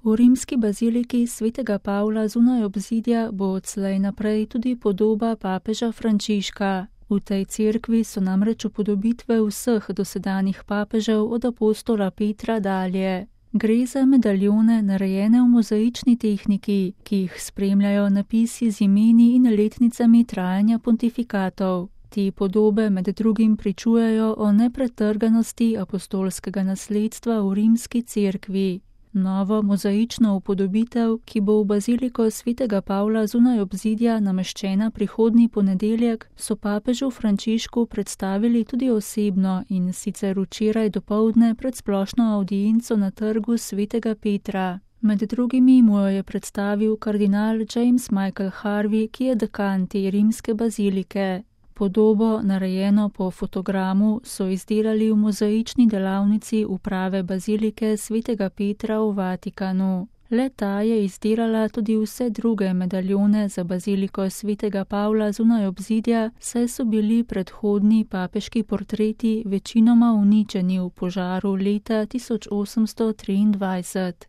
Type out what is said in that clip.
V rimski baziliki svetega Pavla zunaj obzidja bo odslej naprej tudi podoba papeža Frančiška. V tej cerkvi so namreč upodobitve vseh dosedanjih papežev od apostola Petra dalje. Gre za medaljone, narejene v mozaični tehniki, ki jih spremljajo napisi z imeni in letnicami trajanja pontifikatov. Te podobe med drugim pričujejo o nepretrganosti apostolskega nasledstva v rimski cerkvi. Novo mozaično upodobitev, ki bo v baziliko svetega Pavla zunaj obzidja nameščena prihodnji ponedeljek, so papežu Frančišku predstavili tudi osebno in sicer včeraj dopoldne pred splošno avdienco na trgu svetega Petra. Med drugimi mu jo je predstavil kardinal James Michael Harvey, ki je dekan te rimske bazilike. Podobo, narejeno po fotogramu, so izdelali v mozaični delavnici uprave bazilike svetega Petra v Vatikanu. Le-ta je izdelala tudi vse druge medaljone za baziliko svetega Pavla zunaj obzidja, saj so bili predhodni papeški portreti večinoma uničeni v požaru leta 1823.